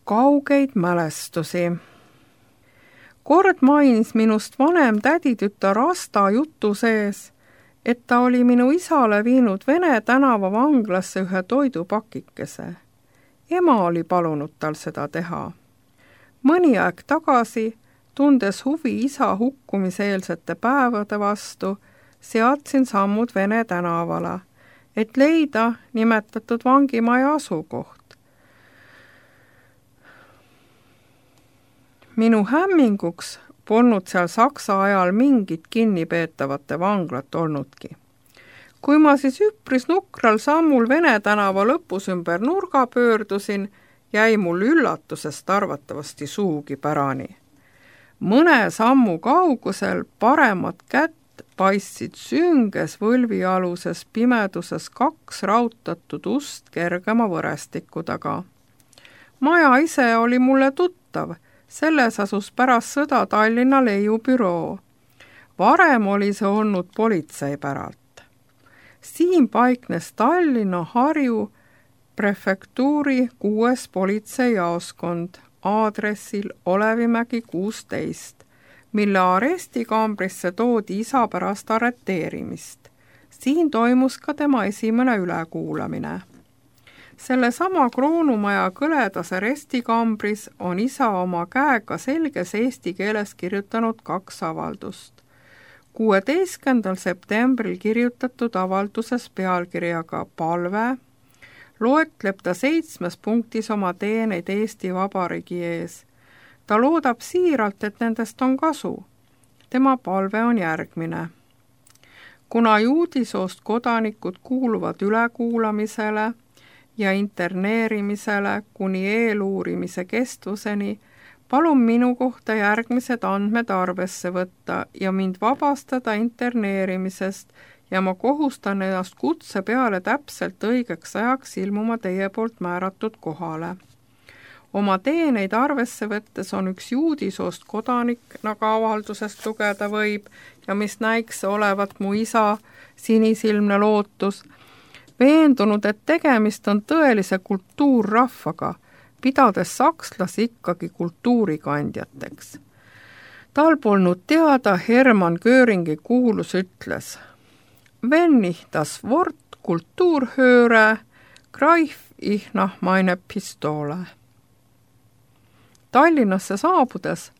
kaugeid mälestusi. Kord mainis minust vanem täditütar Asta jutu sees, et ta oli minu isale viinud Vene tänava vanglasse ühe toidupakikese. Ema oli palunud tal seda teha. Mõni aeg tagasi, tundes huvi isa hukkumiseelsete päevade vastu, seadsin sammud Vene tänavale, et leida nimetatud vangimaja asukoht. Minu hämminguks polnud seal Saksa ajal mingit kinnipeetavate vanglat olnudki. Kui ma siis üpris nukral sammul Vene tänava lõpus ümber nurga pöördusin, jäi mul üllatusest arvatavasti suugi pärani. Mõne sammu kaugusel paremat kätt paistsid sünges võlvialuses pimeduses 2 rautatud ust kergema võrestiku taga. Maja ise oli mulle tuttav, selles asus pärast sõda Tallinna leiubüroo. Varem oli see olnud politsei päralt. Siin paiknes Tallinna Harju prefektuuri 6. politseijaoskond aadressil Olevimägi 16, mille arestikambrisse toodi isa pärast arreteerimist. Siin toimus ka tema esimene ülekuulamine. Selle sama Kroonumaja kõledas arestikambris on isa oma käega selges eesti keeles kirjutanud 2 avaldust. 16. septembril kirjutatud avalduses pealkirjaga Palve loetleb ta 7 punktis oma teeneid Eesti Vabariigi ees. Ta loodab siiralt, et nendest on kasu. Tema palve on järgmine. Kuna juudisoost kodanikud kuuluvad ülekuulamisele ja interneerimisele kuni eeluurimise kestvuseni, palun minu kohta järgmised andmed arvesse võtta ja mind vabastada interneerimisest ja ma kohustan ennast kutse peale täpselt õigeks ajaks ilmuma teie poolt määratud kohale. Oma teeneid arvesse võttes on üks juudisoost kodanik, nagu avaldusest lugeda võib ja mis näiks olevat mu isa sinisilmne lootus, veendunud, et tegemist on tõelise kultuurrahvaga, pidades sakslasi ikkagi kultuurikandjateks. Tal polnud teada Hermann Göringi kuulus ütles: Wenn ich das Wort Kultur höre, greif ich nach meine Pistole. Tallinnasse saabudes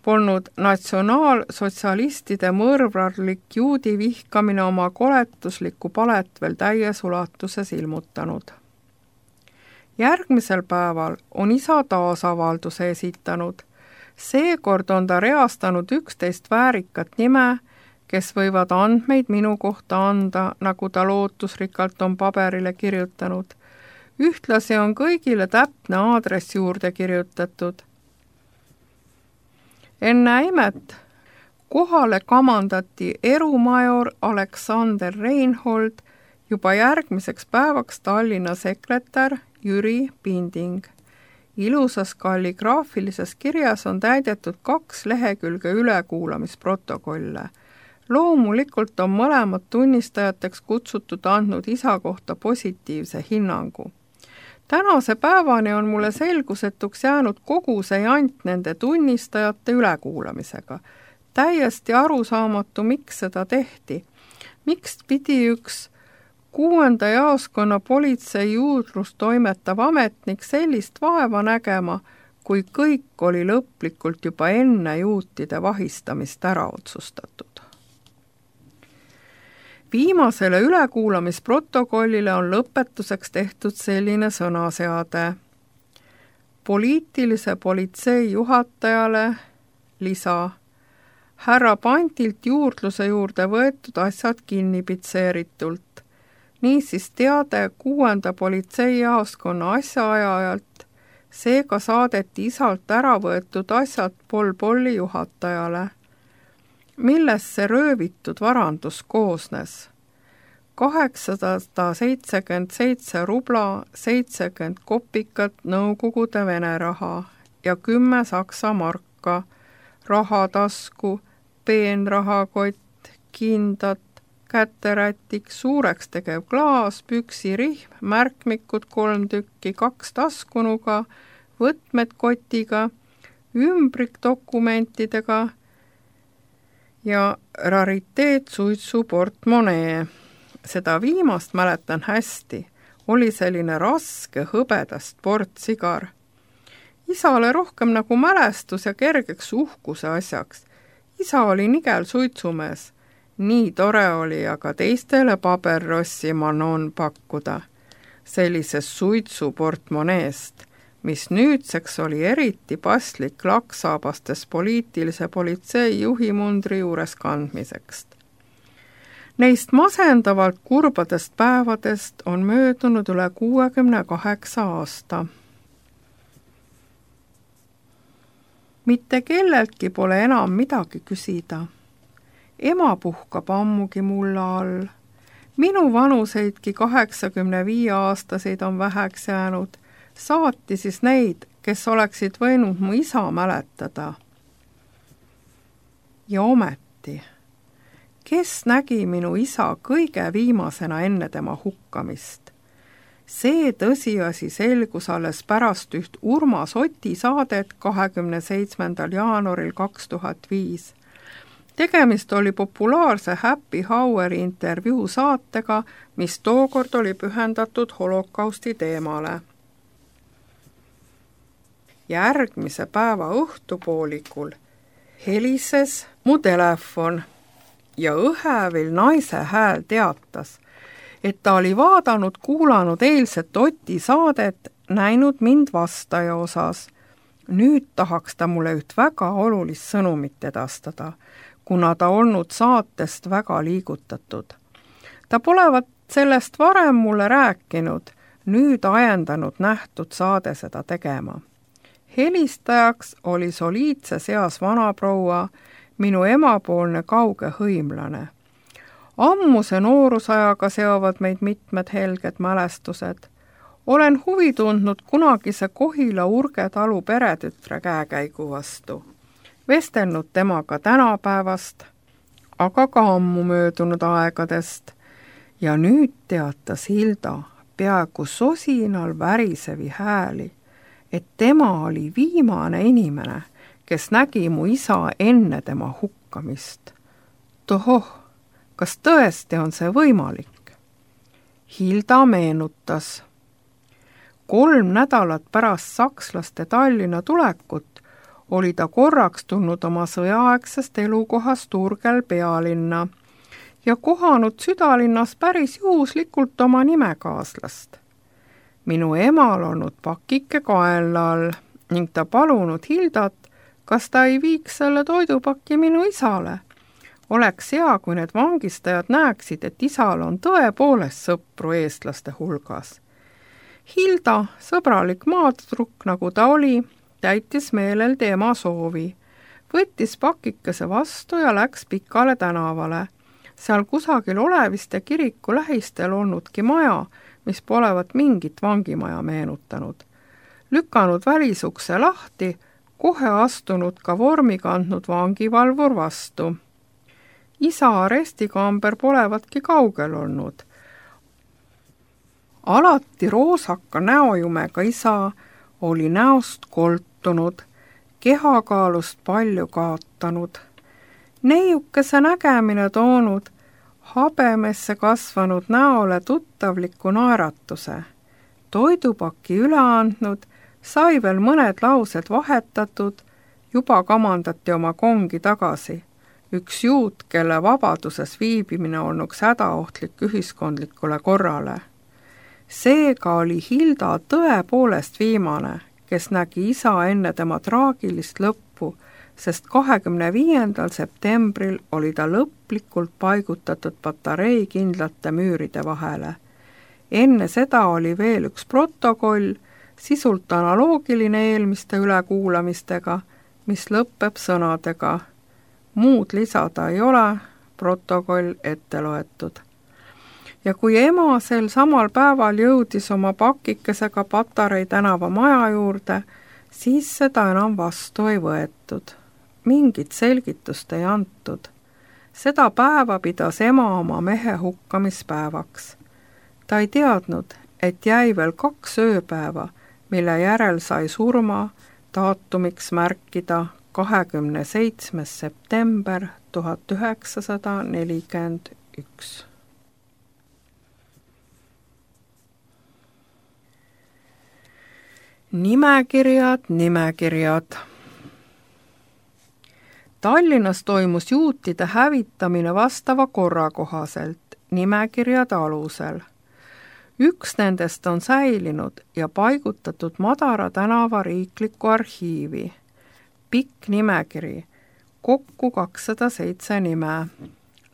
polnud natsionaalsotsialistide mõrvarlik juudi vihkamine oma koletuslikku palet veel täies ulatuses ilmutanud. Järgmisel päeval on isa taas avalduse esitanud. Seekord on ta reastanud 11 väärikat nime, kes võivad andmeid minu kohta anda, nagu ta lootusrikkalt on paberile kirjutanud. Ühtlasi on kõigile täpne aadress juurde kirjutatud. Enne imet kohale kamandati erumajor Aleksander Reinhold, juba järgmiseks päevaks Tallinna sekretär Jüri Pinding. Ilusas kalligraafilises kirjas on täidetud 2 lehekülge ülekuulamisprotokolle. Loomulikult on mõlemad tunnistajateks kutsutud andnud isa kohta positiivse hinnangu. Tänase päevani on mulle selgusetuks jäänud kogu see jant nende tunnistajate ülekuulamisega. Täiesti arusaamatu, miks seda tehti. Miks pidi üks 6. jaoskonna politsei juurdlust toimetav ametnik sellist vaeva nägema, kui kõik oli lõplikult juba enne juutide vahistamist ära otsustatud. Viimasele ülekuulamisprotokollile on lõpetuseks tehtud selline sõnaseade. Poliitilise politsei juhatajale lisa. Härra Pantilt juurdluse juurde võetud asjad kinnipitseeritult. Niisiis teade 6. politseijaoskonna asjaajajalt, seega saadeti isalt ära võetud asjad Polli juhatajale. Millest see röövitud varandus koosnes? 877 rubla, 70 kopikat Nõukogude Vene raha ja 10 Saksa marka, rahatasku, peenrahakott, kindad, käterätik, suureks tegev klaas, püksirihm, märkmikud 3 tükki, 2 taskunuga, võtmed kotiga, ümbrikdokumentidega ja rariteetsuitsu portmonee. Seda viimast mäletan hästi, oli selline raske hõbedast portsigar. Isale rohkem nagu mälestus ja kergeks uhkuse asjaks. Isa oli nigel suitsumees. Nii tore oli aga teistele paberrossi manon pakkuda sellisest suitsuportmoneest, mis nüüdseks oli eriti paslik laksaabastes poliitilise politsei juhimundri juures kandmiseks. Neist masendavalt kurbadest päevadest on möödunud üle 68 aasta. Mitte kelleltki pole enam midagi küsida. Ema puhkab ammugi mulla all. Minu vanuseidki 85-aastaseid on väheks jäänud. Saati siis neid, kes oleksid võinud mu isa mäletada. Ja ometi, kes nägi minu isa kõige viimasena enne tema hukkamist? See tõsiasi selgus alles pärast üht Urmas Oti saadet 27. jaanuaril 2005. Tegemist oli populaarse Happy Houri intervjuu saatega, mis tookord oli pühendatud holokausti teemale. Järgmise päeva õhtupoolikul helises mu telefon ja õhevil naise hääl teatas, et ta oli kuulanud eilset Oti saadet, näinud mind vastaja osas. Nüüd tahaks ta mulle üht väga olulist sõnumit edastada, kuna ta olnud saatest väga liigutatud. Ta polevat sellest varem mulle rääkinud, nüüd ajendanud nähtud saade seda tegema. Helistajaks oli soliidses eas vanaproua, minu emapoolne kauge hõimlane. Ammuse noorusajaga seovad meid mitmed helged mälestused. Olen huvi tundnud kunagise Kohila Urge talu peretütre käekäigu vastu. Vestelnud temaga tänapäevast, aga ka ammu möödunud aegadest. Ja nüüd teatas Hilda peaaegu sosinal värisevi hääli, et tema oli viimane inimene, kes nägi mu isa enne tema hukkamist. Tohoh, kas tõesti on see võimalik? Hilda meenutas. 3 nädalat pärast sakslaste Tallinna tulekut oli ta korraks tulnud oma sõjaaegsest elukohast Urgel pealinna ja kohanud südalinnas päris juhuslikult oma nimekaaslast. Minu emal olnud pakike kaela all ning ta palunud Hildat, kas ta ei viiks selle toidupaki minu isale. Oleks hea, kui need vangistajad näeksid, et isal on tõepoolest sõpru eestlaste hulgas. Hilda, sõbralik maatüdruk nagu ta oli, täitis meelel tema soovi. Võttis pakikese vastu ja läks pikale tänavale. Seal kusagil Oleviste kiriku lähistel olnudki maja, mis polevat mingit vangimaja meenutanud. Lükanud välisukse lahti, kohe astunud ka vormi kandnud vangivalvur vastu. Isa arestikamber polevatki kaugel olnud. Alati roosaka näojumega isa oli näost koltunud, kehakaalust palju kaotanud. Neiukese nägemine toonud habemesse kasvanud näole tuttavliku naeratuse. Toidupaki üle andnud, sai veel mõned laused vahetatud, juba kamandati oma kongi tagasi. Üks juut, kelle vabaduses viibimine olnuks hädaohtlik ühiskondlikule korrale. Seega oli Hilda tõepoolest viimane, kes nägi isa enne tema traagilist lõppu, sest 25. septembril oli ta lõplikult paigutatud patarei kindlate müüride vahele. Enne seda oli veel üks protokoll, sisult analoogiline eelmiste ülekuulamistega, mis lõpeb sõnadega. Muud lisada ei ole, protokoll ette loetud. Ja kui ema sel samal päeval jõudis oma pakikesega Patarei tänava maja juurde, siis seda enam vastu ei võetud. Mingit selgitust ei antud. Seda päeva pidas ema oma mehe hukkamispäevaks. Ta ei teadnud, et jäi veel 2 ööpäeva, mille järel sai surma daatumiks märkida 27. september 1941. Nimekirjad. Tallinnas toimus juutide hävitamine vastava korra kohaselt, nimekirjade alusel. Üks nendest on säilinud ja paigutatud Madara tänava riiklikku arhiivi. Pikk nimekiri, kokku 207 nime.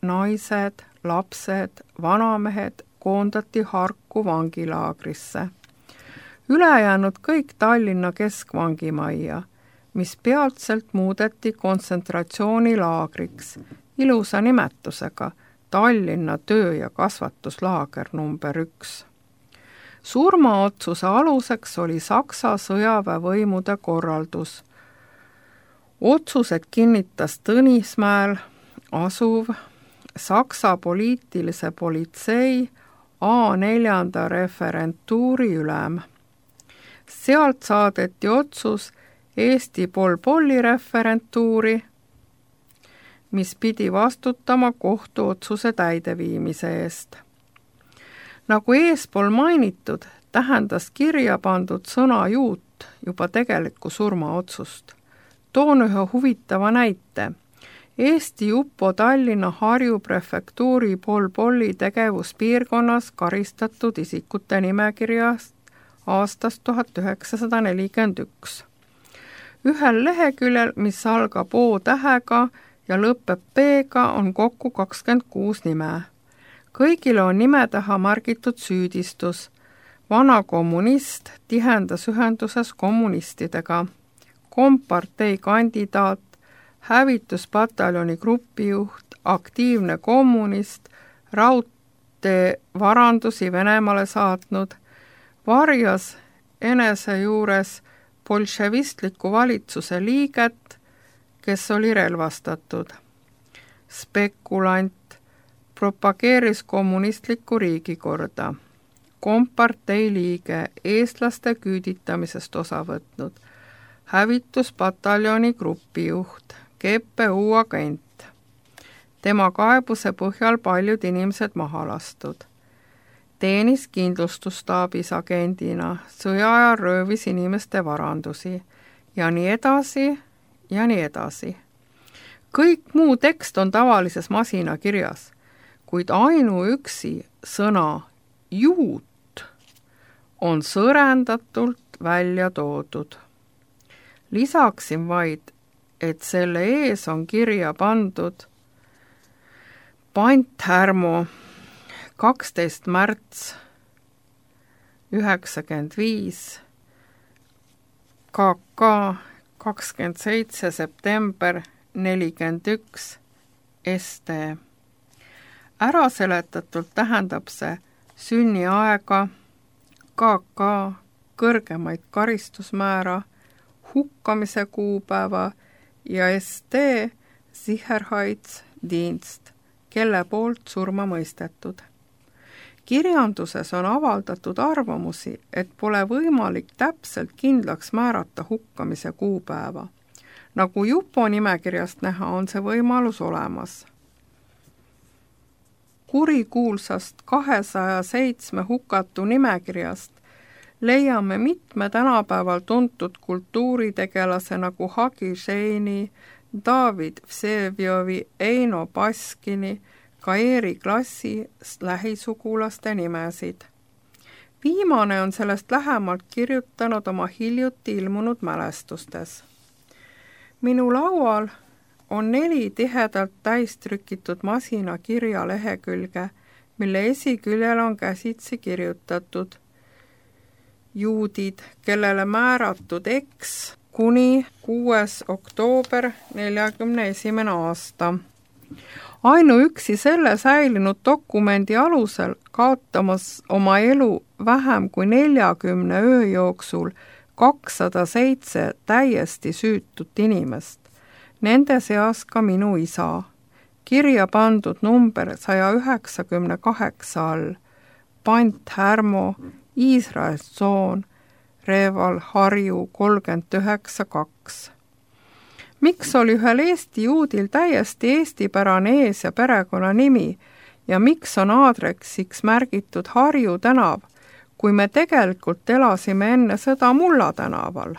Naised, lapsed, vanamehed koondati Harku vangilaagrisse. Ülejäänud kõik Tallinna keskvangimajja, mis peatselt muudeti kontsentratsioonilaagriks, ilusa nimetusega Tallinna töö- ja kasvatuslaager number 1. Surmaotsuse aluseks oli Saksa sõjaväevõimude korraldus. Otsused kinnitas Tõnismäel asuv Saksa poliitilise politsei A4 referentuuri ülem. Sealt saadeti otsus Eesti Pol-Polli referentuuri, mis pidi vastutama kohtuotsuse täideviimise eest. Nagu eespool mainitud, tähendas kirja pandud sõna juut juba tegelikku surmaotsust. Toon ühe huvitava näite. Eesti Jupo Tallinna Harju prefektuuri Pol-Polli tegevuspiirkonnas karistatud isikute nimekirjast aastast 1941. Ühel leheküljel, mis algab O-tähega ja lõpeb P-ga, on kokku 26 nime. Kõigile on nime taha märgitud süüdistus. Vana kommunist tihendas ühenduses kommunistidega. Kompartei kandidaat, hävituspataljoni grupijuht, aktiivne kommunist, raudteevarandusi Venemaale saatnud, varjas enese juures bolševistliku valitsuse liiget, kes oli relvastatud. Spekulant, propageeris kommunistlikku riigikorda. Kompartei liige, eestlaste küüditamisest osa võtnud. Hävituspataljoni grupijuht, GPU agent. Tema kaebuse põhjal paljud inimesed maha lastud. Teenis kindlustustaabis agendina, sõjaajal röövis inimeste varandusi ja nii edasi ja nii edasi. Kõik muu tekst on tavalises masinakirjas, kuid ainuüksi sõna juut on sõrendatult välja toodud. Lisaksin vaid, et selle ees on kirja pandud panthärmo 12. märts 95, KK 27. september 41, ST. Äraseletatult tähendab see sünniaega, KK kõrgemaid karistusmäära, hukkamise kuupäeva ja ST Sicherheitsdienst, kelle poolt surma mõistetud. Kirjanduses on avaldatud arvamusi, et pole võimalik täpselt kindlaks määrata hukkamise kuupäeva. Nagu Jupo nimekirjast näha, on see võimalus olemas. Kurikuulsast 207 hukatu nimekirjast leiame mitme tänapäeval tuntud kultuuritegelase nagu Hagi Žeini, David Vsevjovi, Eino Baskini, Kaeri klassi lähisugulaste nimesid. Viimane on sellest lähemalt kirjutanud oma hiljuti ilmunud mälestustes. Minu laual on 4 tihedalt täistrükitud masinakirja lehekülge, mille esiküljel on käsitsi kirjutatud juudid, kellele määratud X kuni 6. oktoober 41. aasta. Ainuüksi selle säilinud dokumendi alusel kaotamas oma elu vähem kui 40 öö jooksul 207 täiesti süütut inimest. Nende seas ka minu isa. Kirja pandud number 198 all, panthärmo, Iisraeli tsoon, Reval, Harju 39-2. Miks oli ühel Eesti juudil täiesti eestipärane ees- ja perekonnanimi ja miks on aadressiks märgitud Harju tänav, kui me tegelikult elasime enne sõda Mulla tänaval?